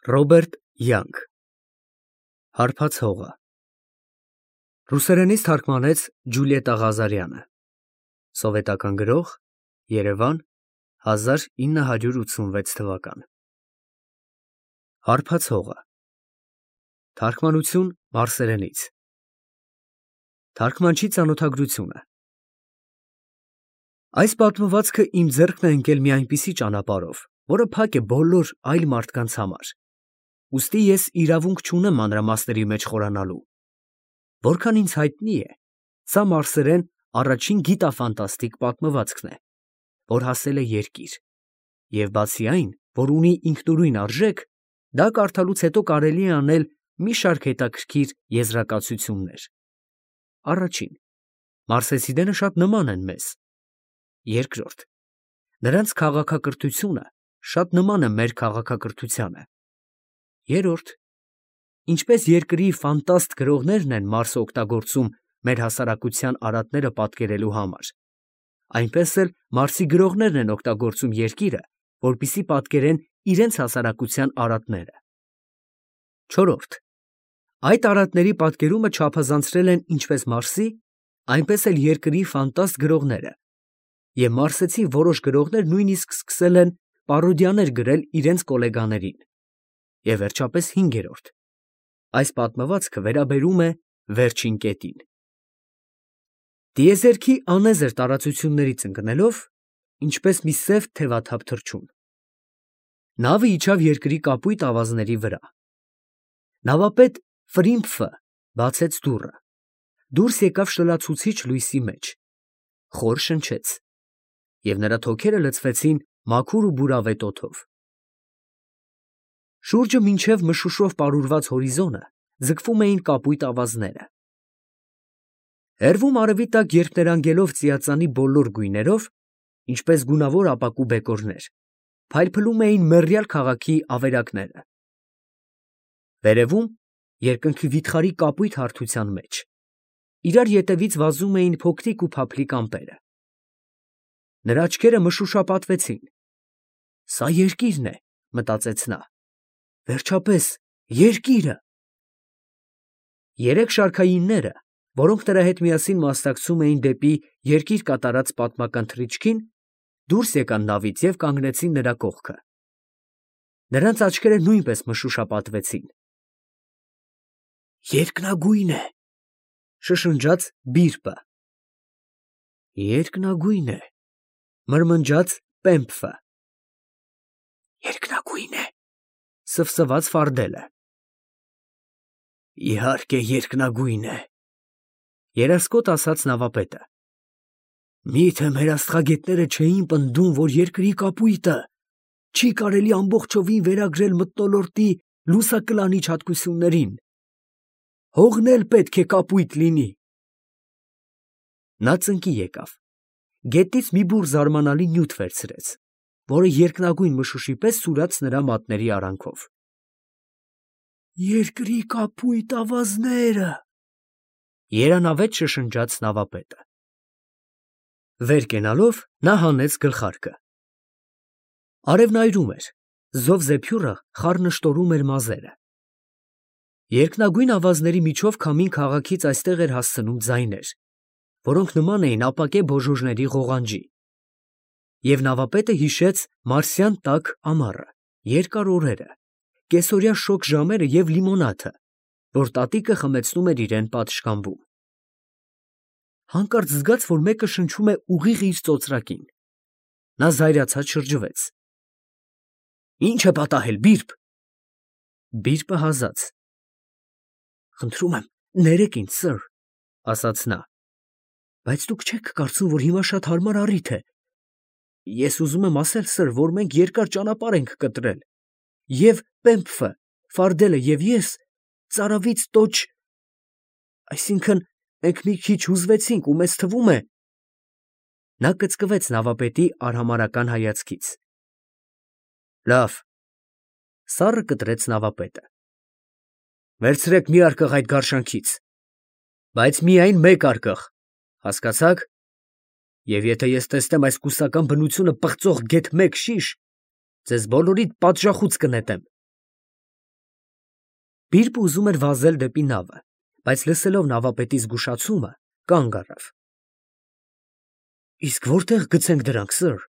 Ռոբերտ Յանգ Հարբած հողը Ռուսերենից թարգմանեց Ջուլիետտա Ղազարյանը Սովետական գրող Երևան 1986 թվական Հարբած հողը Թարգմանություն մարսերենից Թարգմանչի ծանոթագրությունը Այս պատմվածքը իմ ձեռքն է ընկել մի այնպիսի ճանապարհով, որը փակ է բոլոր այլ մարդկանց համար, ուստի ես իրավունք չունեմ մանրամասների մեջ խորանալու, որքան ինձ հայտնի է, սա մարսերեն առաջին գիտաֆանտաստիկ պատմվածքն է, որ հասել է երկիր, և բացի այն, որ ունի ինքնուրույն արժեք, դա կարդալուց հետո կարելի է անել մի շարք հետաքրքիր եզրակացություններ. Առաջին. մարսեցիները շատ նման են մեզ. Երկրորդ. նրանց քաղաքակրթությունը շատ նման է մեր քաղաքակրթությանը. Երրորդ. ինչպես երկրի ֆանտաստ գրողներն են Մարսը օգտագործում մեր հասարակության արատները պատկերելու համար, այնպես էլ Մարսի գրողներն են օգտագործում երկիրը, որպեսզի պատկերեն իրենց հասարակության արատները. Չորրորդ. այդ արատների պատկերումը չափազանցրել են ինչպես Մարսի, այնպես էլ երկրի ֆանտաստ գրողները, և մարսեցի որոշ գրողներ նույնիսկ սկսել են պարոդիաներ գրել իրենց գոլեգաներին, և վերջապես հինգերորդ. այս պատմվածքը վերաբերում է վերջին կետին. Տիեզերքի անեզր տարածություններից ընկնելով, ինչպես մի սև թևաթափ թռչուն, նավը իջավ երկրի կապույտ ավազների վրա. նավապետ Ֆրիմփը բացեց դուռը, դուրս եկավ շլացուցիչ լույսի մեջ, խոր շնչեց, և նրա թոքերը լցվեցին մաքուր ու բուրավետ օդով. շուրջը մինչև մշուշով պարուրված հորիզոնը ձգվում էին կապույտ ավազները. հեռվում արևի տակ երփներանգելով ծիածանի բոլոր գույներով, ինչպես գունավոր ապակու բեկորներ, փայլփլում էին մեռյալ քաղաքի ավերակները. վերևում, երկնքի վիթխարի կապույտ հարթության մեջ, իրար ետևից վազում էին փոքրիկ ու փափլիկ ամպերը. նրա աչքերը մշուշապատվեցին. «Սա երկիրն է», մտածեց նա, «վերջապես երկիրը»։ Երեք շարքայինները, որոնք նրա հետ միասին մասնակցում էին դեպի երկիր կատարած պատմական թռիչքին, դուրս եկան նավից և կանգնեցին նրա կողքը. նրանց աչքերը նույնպես մշուշապատվեցին. «Երկնագույն է», շշնջաց Բիրբը. «Երկնագույն է», մրմնջաց Պեմփը. «Երկնագույն է», սվսվաց Ֆարդելը. «Իհարկե երկնագույն է», երասկոտ ասաց նավապետը. «Միթե մեր աստղագետները չէին պնդում, որ երկրի կապույտը չի կարելի ամբողջովին վերագրել մթնոլորտի լուսակլանիչ հատկություններին, հողն էլ պետք է կապույտ լինի»։ Նա ծնկի եկավ, գետից մի բուռ զարմանալի նյութ վերցրեց, որը երկնագույն մշուշի պես սուրաց նրա մատների արանքով. «Երկրի կապույտ ավազները», երանավետ շշնջաց նավապետը: Վեր կենալով նա հանեց գլխարկը. արևն այրում էր, զով զեփյուռը խառնշտորում էր մազերը. երկնագույն ավազների միջով քամին քաղաքից այստեղ էր հասցնում ձայներ, որոնք նման էին ապակե բոժոժների ղողանջի, և նավապետը հիշեց մարսյան տաք ամառը, երկար օրերը, կեսօրյա շոգ ժամերը և լիմոնադը, որ տատիկը խմեցնում էր իրան պատշգամբում: Հանկարծ զգաց, որ մեկը շնչում է ուղիղ իր ծոծրակին: նա զայրացած շրջվեց. «Ի՞նչ է պատահել, Բիրբ»։ Բիրբը հազաց. «Խնդրում եմ, ներեք ինձ, սըր», ասաց նա, «բայց դուք չեք կարծում, որ հիմա շատ հարմար առիթ է։ Ես ուզում եմ ասել, սըր, որ մենք երկար ճանապարհ ենք կտրել, և Պեմփը, Ֆարդելը և ես ծարավից տոչ… այսինքն՝ մենք մի քիչ հուզվեցինք ու մեզ թվում է…»։ Նա կծկվեց նավապետի արհամարհական հայացքից. «Լավ», սառը կտրեց նավապետը, «վերցրեք մի արկղ այդ գարշանքից, բայց միայն մեկ արկղ, հասկացա՞ք, և եթե ես տեսնեմ այս կուսական բնությունը պղծող գեթ մեկ շիշ, ձեզ բոլորիդ պատժախոց կնետեմ»։ Բիրբը ուզում էր վազել դեպի նավը, բայց լսելով նավապետի զգուշացումը, կանգ առավ։ Իսկ որտեղ գցենք դրանք, սըր։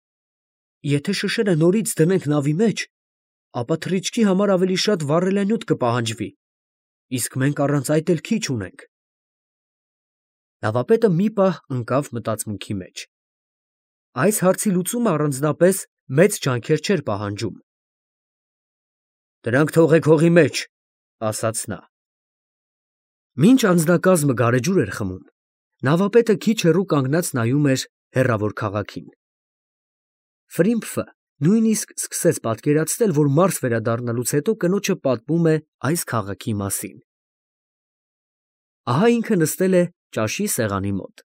Եթե շշերը նորից դնենք նավի մեջ, ապա թռիչքի համար ավելի շատ վառելանյութ կպահանջվի, իսկ մենք առանց այդ էլ քիչ ունենք։ Նավապետը մի պահ ընկավ մտածմունքի մեջ։ Այս հարցի լուծումը առանձնապես մեծ ջանքեր չէր պահանջում։ Դրանք թողեք հողի մեջ, ասաց նա։ Մինչ անձնակազմը գարեջուր էր խմում, նավապետը քիչ հեռու կանգնած նայում էր հեռավոր քաղաքին։ Ֆրիմփը նույնիսկ սկսեց պատկերացնել, որ մարզ վերադառնալուց հետո կնոջը պատմում է այս քաղաքի մասին։ Ահա ինքը նստել է ճաշի սեղանի մոտ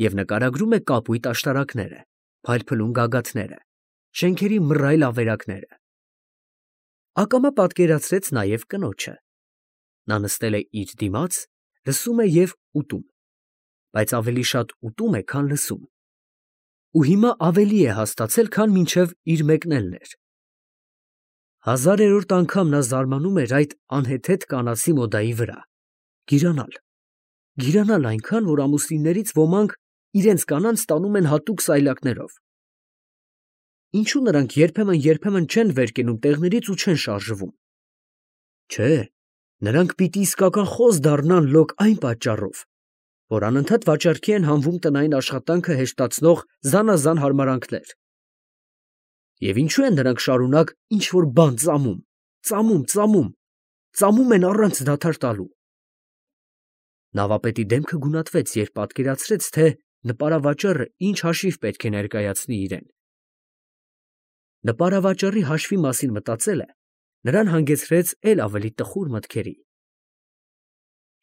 և նկարագրում է կապույտ աշտարակները, փայլփլուն գագաթները, շենքերի մռայլ ավերակները։ Ակամա պատկերացրեց նաև կնոջը։ Նա նստել է իր դիմաց, լսում է և ուտում, բայց ավելի շատ ուտում է, քան լսում։ Ու հիմա ավելի է հաստացել, քան մինչև իր մեկնելն էր։ Հազարերորդ անգամ նա զարմանում էր այդ անհեթեթ կանացի մոդայի վրա։ Գիրանալ այնքան, որ ամուսիններից ոմանք իրենց կանանց տանում են հատուկ սայլակներով։ Ինչու նրանք երբեմն չեն վեր կենում տեղներից ու չեն շարժվում։ Չէ, նրանք պիտի իսկական խոզ դառնան լոկ այն պատճառով, որ անընդհատ վաճառքի են հանվում տնային աշխատանքը հեշտացնող զանազան հարմարանքներ։ Եվ ինչու են նրանք շարունակ ինչ-որ բան ծամում են առանց դադար տալու։ Նավապետի դեմքը գունատվեց, երբ պատկերացրեց, թե նպարավաճառը ինչ հաշիվ պետք է ներկայացնի իրեն։ Նպարավաճառի հաշվի մասին մտածելը նրան հանգեցրեց էլ ավելի տխուր մտքերի։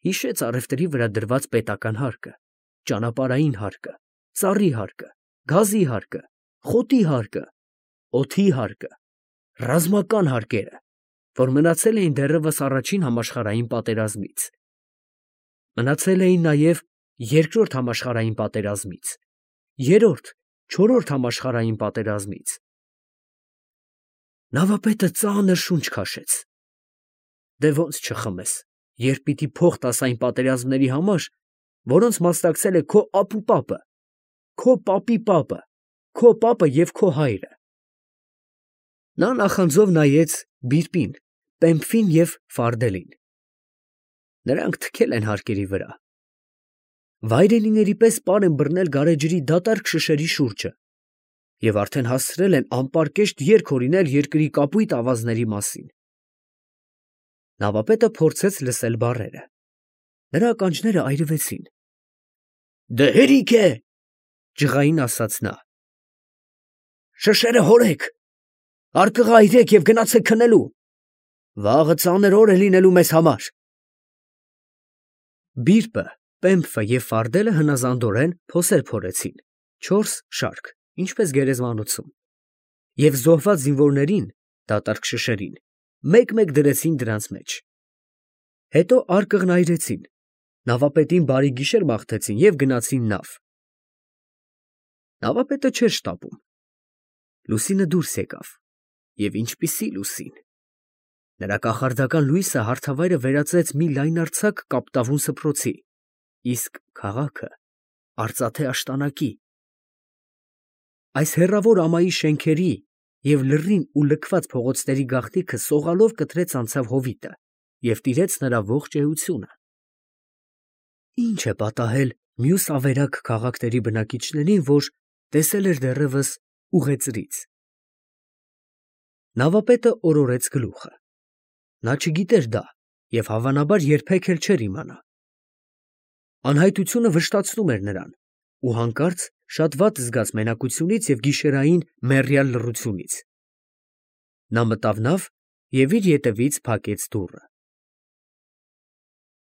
Հիշեց առևտրի վրա դրված պետական հարկը, ճանապարհային հարկը, ծառի հարկը, գազի հարկը, խոտի հարկը, օդի հարկը, ռազմական հարկերը, որ մնացել էին դեռևս առաջին համաշխարհային պատերազմից։ Մնացել էին նաև երկրորդ համաշխարհային պատերազմից, երրորդ, չորրորդ համաշխարհային պատերազմից։ Նավապետը ծանր շունչ քաշեց։ Դե ոնց չխմես, երբ պիտի փող տաս այն պատերազմների համար, որոնց մասնակցել է քո ապուպապը, քո պապի պապը, քո պապը և քո հայրը։ Նա նախանձով նայեց Բիրբին, Պեմփին և Ֆարդելին։ Նրանք թքել են հարկերի վրա։ Վայրենիների պես պար են բռնել գարեջրի դատարկ շշերի շուրջը և արդեն հասցրել են անպարկեշտ երգ հորինել երկրի կապույտ ավազների մասին։ Նավապետը փորձեց լսել բառերը։ Նրա ականջները այրվեցին։ Դե հերիք է, ջղային ասաց նա։ Շշերը հորեք, արկղը այրեք և գնացեք քնելու։ Վաղը ծանր օր է լինելու մեզ համար։ Բիրբը, Պեմփը և Ֆարդելը հնազանդորեն փոսեր փորեցին, 4 շարք, ինչպես գերեզմանոցում, և զոհված զինվորներին, դատարկ շշերին, մեկ֊մեկ դրեցին դրանց մեջ։ Հետո արկղն այրեցին, նավապետին բարի գիշեր մաղթեցին և գնացին նավ։ Նավապետը չէր շտապում։ Լուսինը դուրս եկավ, և ինչպիսի լուսին։ Նրա կախարդական լույսը հարթավայրը վերածեց մի լայնարձակ կապտավուն սփռոցի, իսկ քաղաքը արծաթե աշտանակի։ Այս հեռավոր ամայի շենքերի և լռին ու լքված փողոցների գաղտնիքը սողալով կտրեց անցավ հովիտը և տիրեց նրա ողջ էությունը։ Ինչ է պատահել մյուս ավերակ քաղաքների բնակիչներին, որ տեսել էր դեռևս ուղեծրից։ Նավապետը օրորեց գլուխը։ Նա չգիտեր դա և հավանաբար երբեք էլ չէր իմանա։ Անհայտությունը վշտացնում էր նրան ու հանկարծ շատ վատ զգաց մենակությունից և գիշերային մեռյալ լռությունից։ Նա մտավ նավ և իր ետևից փակեց դուռը։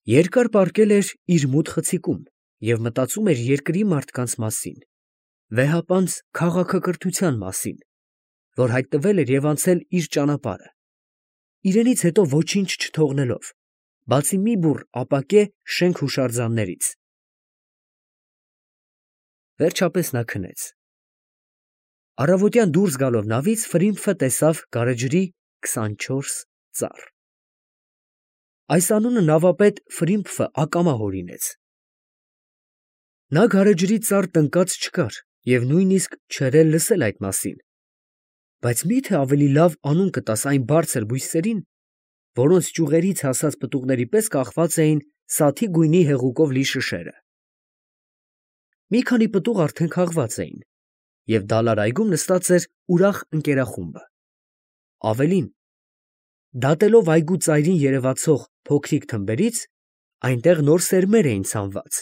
Երկար պառկել էր իր մութ խցիկում և մտածում էր երկրի մարդկանց մասին, վեհապանծ քաղաքակրթության մասին, որ հայտնվել էր և անցել իր ճանապարհը, իրենից հետո ոչինչ չթողնելով, բացի մի բուռ ապակե շենք հուշարձաններից։ Վերջապես նա քնեց։ Առավոտյան դուրս գալով նավից Ֆրիմփը տեսավ գարեջրի 24 ծառ։ Այս անունը նավապետ Ֆրիմփը ակամա հորինեց։ Նա գարեջրի ծառ տնկած չկար և նույնիսկ չէր էլ լսել այդ մասին, բայց մի՞թե ավելի լավ անուն կտաս այն բարձր բույսերին, որոնց ճյուղերից հասած պտուղների պես կախված էին սաթի գույնի հեղուկով լի շշերը։ Մի քանի պտուղ արդեն քաղված էին, և դալար այգում նստած էր ուրախ ընկերախումբը։ Ավելին, դատելով այգու ծայրին երևացող փոքրիկ թմբերից, այնտեղ նոր սերմեր էին ցանված։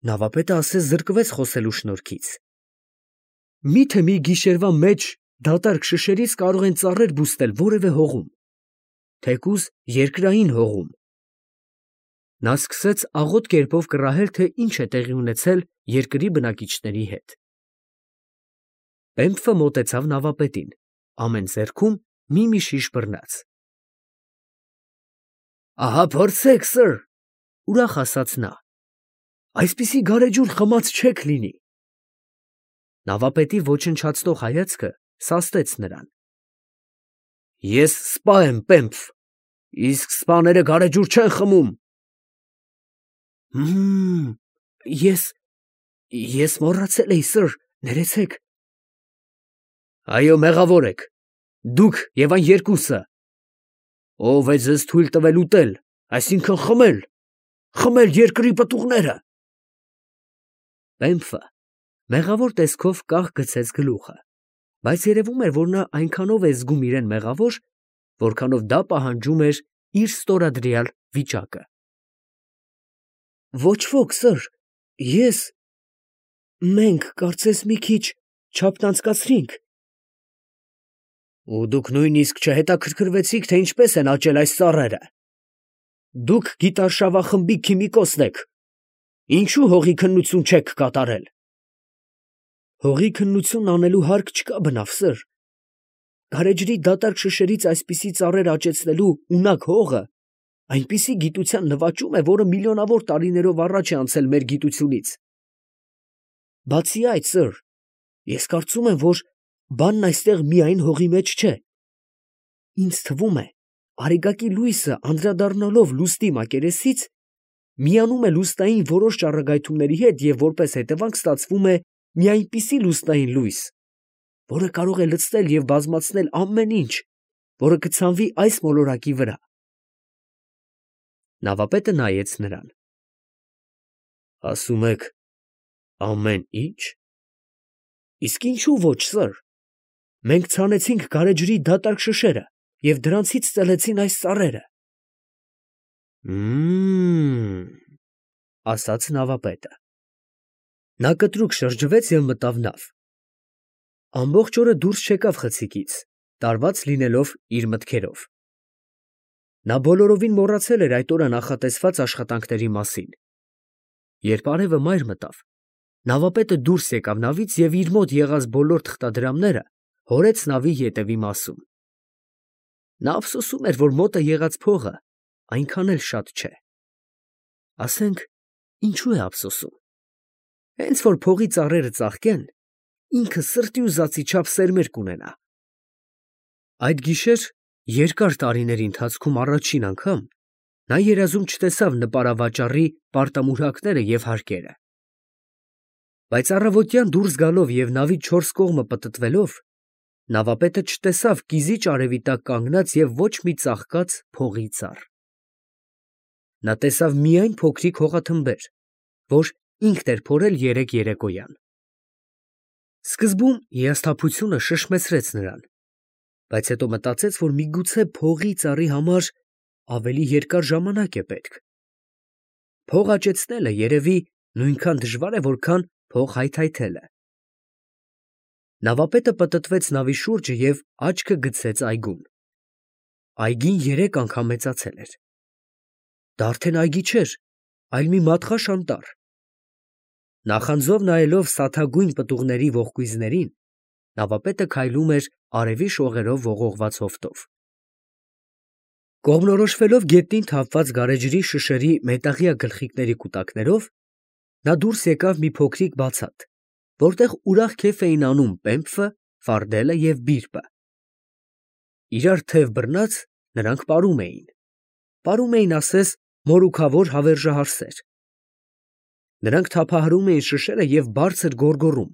Նավապետը ասես զրկվեց խոսելու շնորհքից։ Մի՞թե մի գիշերվա մեջ դատարկ շշերից կարող են ծառեր բուստել որևէ հողում, թեկուզ երկրային հողում։ Նա սկսեց աղոտ կերպով կռահել, թե ինչ է տեղի ունեցել երկրի բնակիչների հետ։ Պեմփը մոտեցավ նավապետին, ամեն ձեռքում մի շիշ բռնած։ Ահա փորձեք, սըր, ուրախ ասաց նա, այսպիսի գարեջուր խմած չեք լինի։ Նավապետի ոչնչացնող հայացքը սաստեց նրան։ Ես սպա եմ, Պեմփ, իսկ սպաները գարեջուր չեն խմում։ Ես մոռացել էի, սըր, ներեցեք։ Այո, մեղավոր եք, դուք և այն երկուսը։ Ով է ձեզ թույլ տվել ուտել, այսինքն խմել երկրի պտուղները։ Պեմփը մեղավոր տեսքով կաղ գցեց գլուխը, բայց երևում էր, որ նա այնքանով է զգում իրեն մեղավոր, որքանով դա պահանջում էր իր ստորադրյալ վիճակը։ Ոչ ոք, սըր, մենք կարծես մի քիչ չափտանցկացրինք։ Ու դուք նույնիսկ չհետաքրքրվեցիք, թե ինչպես են աճել այս ծառերը։ Դուք գիտարշավախմբի քիմիկոսն եք, ինչու հողի քննություն չեք կատարել։ Հողի քննություն անելու հարկ չկա բնավ, սըր։ Գարեջրի դատարկ շշերից այսպիսի ծառեր աճեցնելու ունակ հողը այնպիսի գիտության նվաճում է, որը միլիոնավոր տարիներով առաջ է անցել մեր գիտությունից։ Բացի այդ, սըր, ես կարծում եմ, որ բանն այստեղ միայն հողի մեջ չէ։ Ինձ թվում է, արեգակի լույսը անդրադառնալով լուսնի մակերեսից, միանում է լուսնային որոշ ճառագայթումների հետ և որպես հետևանք ստացվում է մի այնպիսի լուսնային լույս, որը կարող է լցնել և բազմացնել ամեն ինչ, որը կցանվի այս մոլորակի վրա։ Նավապետը նայեց նրան։ Ասում եք, ամեն ինչ։ Իսկ ինչու ոչ, սըր։ Մենք ցանեցինք գարեջրի դատարկ շշերը և դրանցից ծլեցին այս ծառերը։ Ասաց նավապետը։ Նա կտրուկ շրջվեց և մտավ նավ։ Ամբողջ օրը դուրս չեկավ խցիկից, տարված լինելով իր մտքերով։ Նա բոլորովին մոռացել էր այդ օրը նախատեսված աշխատանքների մասին։ Երբ արևը մայր մտավ, նավապետը դուրս եկավ նավից և իր մոտ եղած բոլոր թղթադրամները հորեց նավի ետևի մասում։ Նա ափսոսում էր, որ մոտը եղած փողը այնքան էլ շատ չէ։ Ասենք, ինչու է ափսոսում։ Հենց որ փողի ծառերը ծաղկեն, ինքը սրտի ուզածի չափ սերմեր կունենա։ Այդ գիշեր երկար տարիների ընթացքում առաջին անգամ նա երազում չտեսավ նպարավաճառի պարտամուրհակները և հարկերը։ Բայց առավոտյան դուրս գալով և նավի չորս կողմը պտտվելով, նավապետը չտեսավ կիզիչ արևի տակ կանգնած և ոչ մի ծաղկած փողի ծառ։ Նա տեսավ միայն փոքրիկ հողաթմբեր, որ ինքն էր փորել երեկ երեկոյան։ Սկզբում հիասթափությունը շշմեցրեց նրան, բայց հետո մտածեց, որ միգուցե փողի ծառի համար ավելի երկար ժամանակ է պետք։ Փող աճեցնելը երևի նույնքան դժվար է, որքան փող հայթայթելը։ Նավապետը պտտվեց նավի շուրջը և աչքը գցեց այգուն։ Այգին 3 անգամ մեծացել էր։ Դա արդեն այգի չէր, այլ մի մատղաշ անտառ։ Նախանձով նայելով սաթագույն պտուղների ողկույզներին, նավապետը քայլում էր արևի շողերով ողողված հովտով։ Կողմնորոշվելով գետնին թափված գարեջրի շշերի մետաղյա գլխիկների կուտակներով, նա դուրս եկավ մի փոքրիկ բացատ, որտեղ ուրախ քեֆ էին անում Պեմփը, Ֆարդելը և Բիրբը։ Իրար թև բռնած, նրանք պարում էին։ պարում էին ասես մորուքավոր հավերժահարսեր։ Նրանք թափահարում էին շշերը և բարձր գոռգոռում։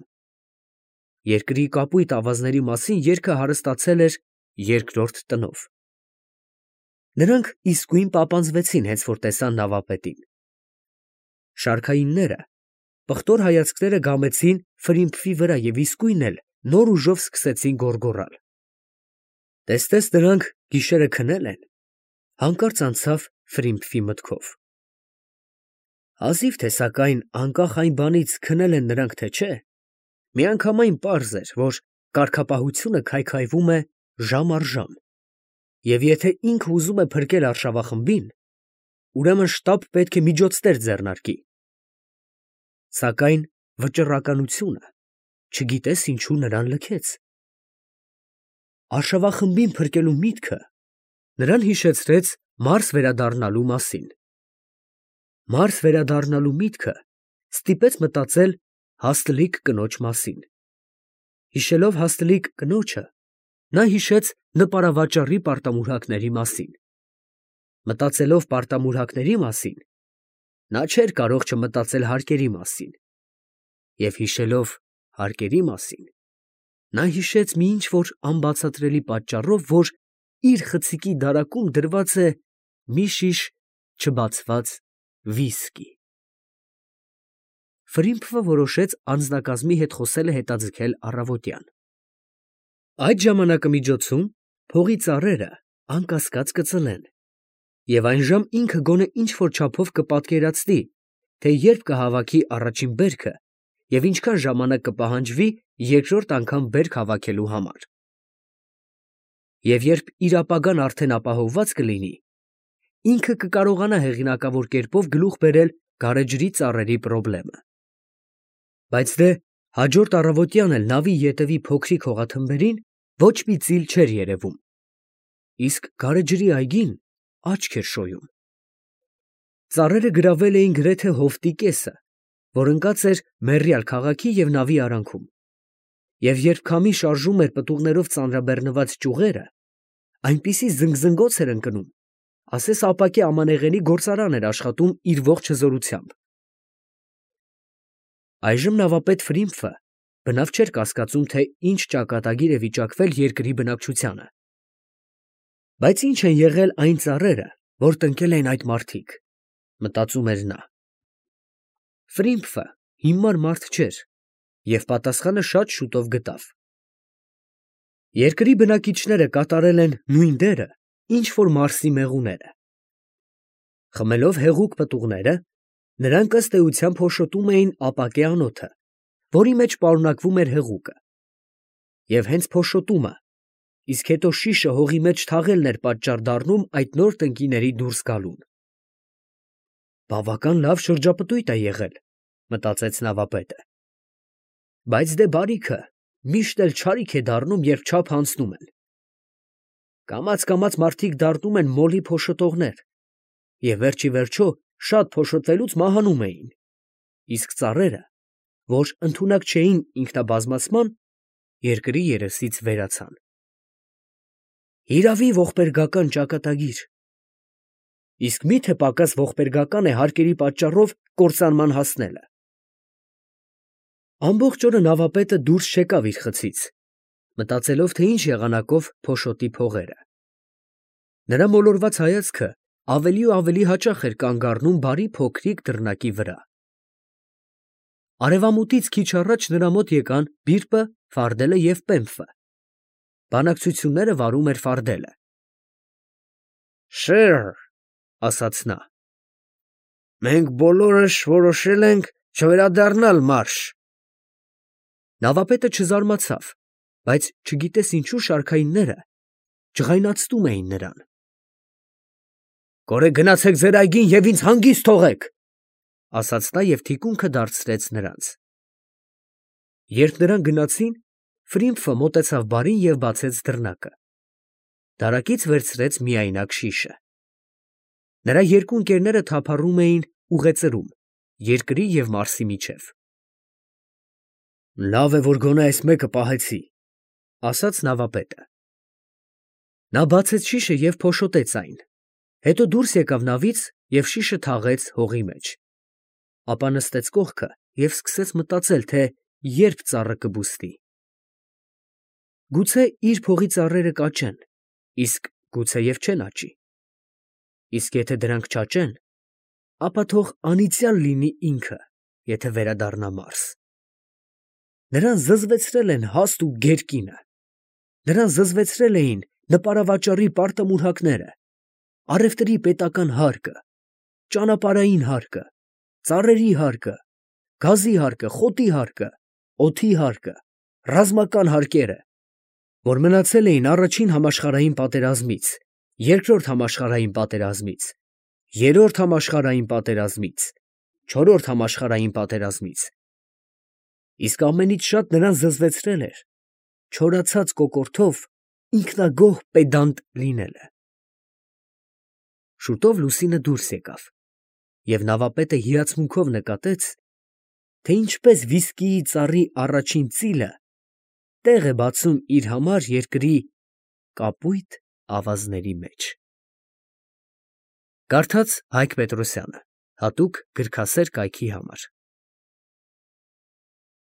Երկրի կապույտ ավազների մասին երգը հարստացել էր երկրորդ տնով։ Նրանք իսկույն պապանձվեցին, հենց որ տեսան նավապետին։ Շարքայինները պղտոր հայացքները գամեցին Ֆրիմփի վրա և իսկույն էլ նոր ուժով սկսեցին գոռգոռալ։ Տեսնես նրանք գիշերը քնել են, հանկարծ անցավ Ֆրիմփի մտքով։ Հազիվ թե սակայն անկախ այն բանից քնել են նրանք, թե չէ, միանգամայն պարզ էր, որ կարգապահությունը քայքայվում է ժամ առ ժամ, և եթե ինքը ուզում է փրկել արշավախմբին, ուրեմն շտապ պետք է միջոցներ ձեռնարկի։ Սակայն վճռականությունը չգիտես ինչու նրան լքեց։ Արշավախմբին փրկելու միտքը նրան հիշեցրեց Մարս վերադառնալու մասին։ Մարս վերադառնալու միտքը ստիպեց մտածել հաստլիկ կնոջ մասին։ Հիշելով հաստլիկ կնոջը, նա հիշեց նպարավաճառի պարտամուրհակների մասին։ Մտածելով պարտամուրհակների մասին, նա չէր կարող չմտածել հարկերի մասին, և հիշելով հարկերի մասին, նա հիշեց մի ինչ֊որ անբացատրելի պատճառով, որ իր խցիկի դարակում դրված է մի շիշ չբացված վիսկի։ Ֆրիմփը որոշեց անձնակազմի հետ խոսելը հետաձգել առավոտյան։ Այդ ժամանակամիջոցում փողի ծառերը անկասկած կծլեն, և այնժամ ինքը գոնե ինչ֊որ չափով կպատկերացնի, թե երբ կհավաքի առաջին բերքը և ինչքան ժամանակ կպահանջվի երկրորդ անգամ բերք հավաքելու համար։ Եվ երբ իր ապագան արդեն ապահովված կլինի, ինքը կկարողանա հեղինակավոր կերպով գլուխ բերել գարեջրի ծառերի պրոբլեմը։ Բայց դե հաջորդ առավոտյան էլ նավի ետևի փոքրիկ հողաթմբերին ոչ մի ծիլ չէր երևում, իսկ գարեջրի այգին աչք էր շոյում։ Ծառերը գրավել էին գրեթե հովտի կեսը, որ ընկած էր մեռյալ քաղաքի և նավի արանքում, և երբ քամի շարժում էր պտուղներով ծանրաբեռնված ճյուղերը, այնպիսի զնգզնգոց էր ընկնում, ասես ապակե ամանեղենի գործարան էր աշխատում իր ողջ հզորությամբ։ Այժմ նավապետ Ֆրիմփը բնավ չէր կասկածում, թե ինչ ճակատագիր է վիճակվել երկրի բնակչությանը։ Բայց ի՞նչ են եղել այն ծառերը, որ տնկել էին այդ մարդիկ, մտածում էր նա։ Ֆրիմփը հիմար մարդ չէր, և պատասխանը շատ շուտով գտավ։ Երկրի բնակիչները կատարել են նույն դերը, ինչ որ Մարսի մեղուները։ Խմելով հեղուկ պտուղները, նրանք ըստ էության փոշոտում էին ապակե անոթը, որի մեջ պարունակվում էր հեղուկը, և հենց փոշոտումը, իսկ հետո շիշը հողի մեջ թաղելն էր պատճառ դառնում այդ նոր տնկիների դուրս գալուն։ Բավական լավ շրջապտույտ է եղել, մտածեց նավապետը։ Բայց դե բարիքը միշտ էլ չարիք է դառնում, երբ չափ հանցնում են։ Կամաց մարդիկ դառնում են մոլի փոշոտողներ, և վերջիվերջո շատ փոշոտվելուց մահանում էին, իսկ ծառերը, որ ընդունակ չէին ինքնաբազմացման, երկրի երեսից վերացան։ Հիրավի, ողբերգական ճակատագիր։ Իսկ մի՞թե պակաս ողբերգական է հարկերի պատճառով կործանման հասնելը։ Ամբողջ օրը նավապետը դուրս չեկավ իր խցից, մտածելով, թե ինչ եղանակով փոշոտի փողերը։ Նրա մոլորված հայացքը ավելի ու ավելի հաճախ էր կանգ առնում բարի փոքրիկ դռնակի վրա։ Արևամուտից քիչ առաջ նրա մոտ եկան Բիրպը, Ֆարդելը և Պեմֆը։ Բանակցությունները վարում էր Ֆարդելը։ «Սըր», ասաց նա, «մենք բոլորս որոշել ենք չվերադառնալ Մարս»։ Նավապետը չզարմացավ, բայց չգիտես ինչու շարքայինները ջղայնացնում էին նրան։ «Կորե գնացեք ձեր այգին և ինձ հանգիստ թողեք», ասաց նա և թիկունքը դարձրեց նրանց։ Երբ նրանք գնացին, Ֆրիմփը մոտեցավ բարին և բացեց դռնակը։ Դարակից վերցրեց միայնակ շիշը։ Նրա երկու ընկերները թափառում էին ուղեծրում, երկրի և Մարսի միջև։ «Լավ է, որ գոնե այս մեկը պահեցի», ասաց նավապետը։ Նա բացեց շիշը և փոշոտեց այն, Հետո դուրս եկավ նավից և շիշը թաղեց հողի մեջ, ապա նստեց կողքը և սկսեց մտածել, թե երբ ծառը կբուստի։ Գուցե իր փողի ծառերը կաճեն, իսկ գուցեև չեն աճի։ Իսկ եթե դրանք չաճեն, ապա թող անիծյալ լինի ինքը, եթե վերադառնա մարզ։ Նրան զզվեցրել են հաստ ու գեր կինը, նրան զզվեցրել էին նպարավաճառի պարտամուրհակները, առևտրի պետական հարկը, ճանապարհային հարկը, ծառերի հարկը, գազի հարկը, խոտի հարկը, օդի հարկը, ռազմական հարկերը, որ մնացել էին առաջին համաշխարհային պատերազմից, երկրորդ համաշխարհային պատերազմից, երրորդ համաշխարհային պատերազմից, չորրորդ համաշխարհային պատերազմից։ Իսկ ամենից շատ նրան զզվեցրել էր չորացած կոկորդով ինքնագոհ պեդանտ լինելը։ Շուտով Լուսինը դուրս եկավ, և նավապետը հիացմունքով նկատեց, թե ինչպես վիսկիի ծառի առաջին ծիլը տեղ է բացում իր համար երկրի կապույտ ավազների մեջ։ Կարդաց Հայկ Պետրոսյանը, հատուկ գրքասեր կայքի համար։